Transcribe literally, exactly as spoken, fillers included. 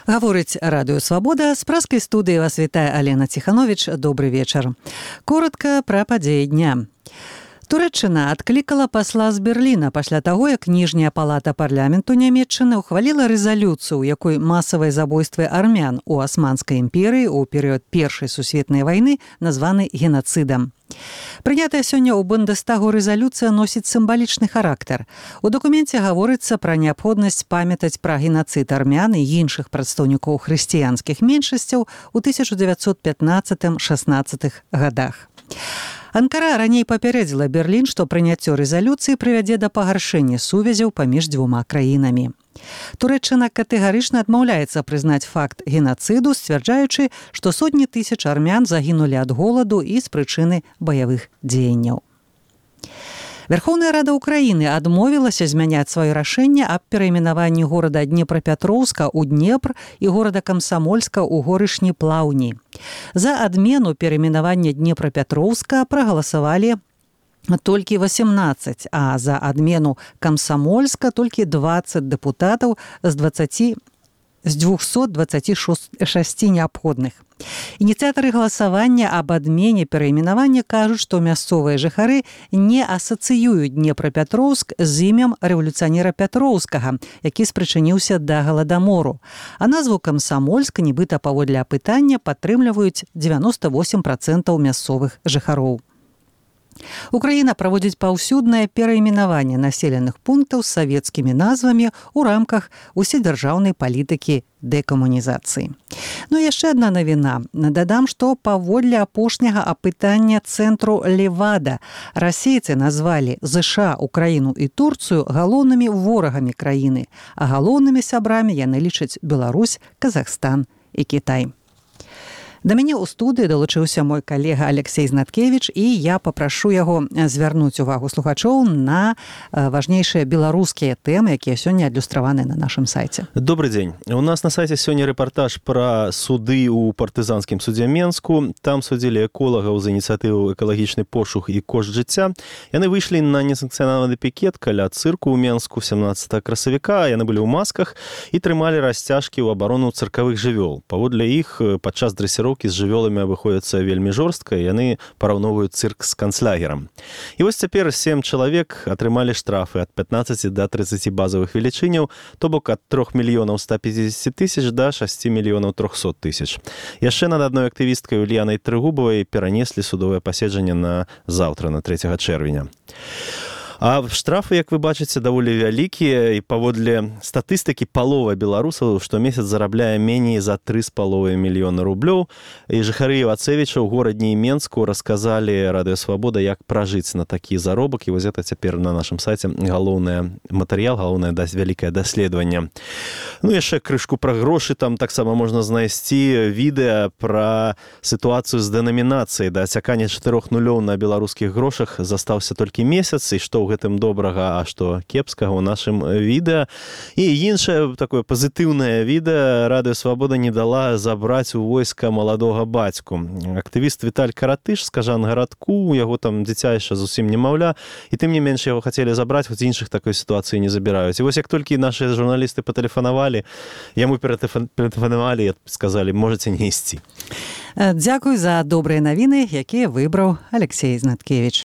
Гаворыць радыё «Свабода». З праскай студыі вас вітае Алена Ціхановіч. Добры вечар. Коротка пра падзеі дня. Турэччына адклікала пасла з Берліна пасля таго, як ніжняя палата парламенту Нямецчыны ухваліла рэзалюцыю, у якой масавыя забойствы армян у Асманскай імперыі ў перыяд Першай сусветнай вайны названы генацыдам. Прынятая сёння ў Бундестагу рэзалюцыя носіць сімвалічны характар. У дакуменце гаворыцца пра неабходнасць памятаць пра генацыд армян і іншых прадстаўнікоў хрысціянскіх меншасцяў у тысяча дзевяцьсот пятнаццатым-шаснаццатых гадах. Анкара раней папярэдзіла Берлін, што прыняццё рэзалюцыі прывядзе да пагаршэння сувязяў паміж дзвюма краінамі. Турэччына катэгарычна адмаўляецца прызнаць факт генацыду, сцвярджаючы, што сотні тысяч армян загінулі ад голаду і з прычыны баявых дзеянняў. Верховная Рада Украіны адмовілася змяняць сваё рашэнне аб перайменаванні горада Днепрапетроўска ў Днепр і горада Камсамольска ў горышні Плаўні. За адмену перайменавання Днепрапетроўска прагаласавалі толькі васемнаццаць, а за адмену Камсамольска толькі дваццаць дэпутатаў з дваццаці з дзвюхсот дваццаці шасці неабходных. Ініцыятары галасавання аб адмене перайменавання кажуць, што мясцовыя жыхары не асацыююць Днепрапетроўск з імем рэвалюцыянера Пятроўскага, які спрычыніўся да галадамору. А назву Камсамольска, нібыта паводле апытання, падтрымліваюць дзевяноста восем працэнтаў мясцовых жыхароў. Украіна праводзіць паўсюднае перайменаванне населеных пунктаў з савецкімі назвамі ў рамках уседзяржаўнай палітыкі дэкамунізацыі. Ну і яшчэ адна навіна. Дадам, што паводле апошняга апытання цэнтру Левада расейцы назвалі ЗША, Украіну і Турцыю галоўнымі ворагамі краіны, а галоўнымі сябрамі яны лічаць Беларусь, Казахстан і Кітай. Да мяне ў студыі далучыўся мой калега Алексей Знаткевіч, і я папрашу яго звярнуць увагу слухачоў на важнейшыя беларускія тэмы, якія сёння адлюстраваны на нашым сайце. Добрый дзень. У нас на сайце сёння рэпартаж пра суды ў партызанскім судзе Менску. Там судзілі эколагаў за ініцыятыву «Экалагічны пошук і кошт жыцця». Яны выйшлі на несанкцыянаваны пікет каля цырку ў Менску сямнаццатага красавіка. Яны былі ў масках і трымалі расцяжкі ў абарону цыркавых жывёл. Паводле іх падчас дрэсіроўкі з жывёламі абыходзяцца вельмі жорстка, яны параўноўваюць цырк з канцлягерам. І вось цяпер сем чалавек атрымалі штрафы ад пятнаццаці да трыццаці базавых велічыняў, то бок ад трох мільёнаў ста пятьдесят тысяч да шасці мільёнаў трохсот тысяч. Яшчэ над адной актывісткай Ульянай Трыгубавай перанеслі судовае паседжанне на заўтра, на трэцяга чэрвеня. А штрафы, як вы бачыце, даволі вялікія, і паводле статыстыкі палова беларусаў штомесяц зарабляе меней за тры з паловай мільёна рублёў. І жыхары Івацевіча ў горадні і Менску расказалі радыё «Свабода», як пражыць на такі заробак. І вось гэта цяпер на нашым сайце галоўны матэрыял, галоўнае вялікае даследаванне. Ну, яшчэ крышку пра грошы, там таксама можна знайсці відэа пра сітуацыю з дэнамінацыяй. Да асякання чатырох нулёў на беларускіх грошах застаўся толькі месяц, і што ў гэтым добрага, а што кепскага ў нашым відэа. І іншае такое пазітыўнае відэа радыё «Свабода» не дала забраць у войска маладога бацьку. Актывіст Віталь Каратыш з Кажангарадку, у яго там дзіця яшчэ зусім немаўля, і тым не менш яго хацелі забраць, хоць іншых такой сітуацыі не забіраюць. І вось як толькі нашы журналісты патэлефанавалі, яму ператэлефанавалі і сказалі, можаце не ісці. Дзякуй за добрыя навіны, якія выбраў Алексей Знаткевіч.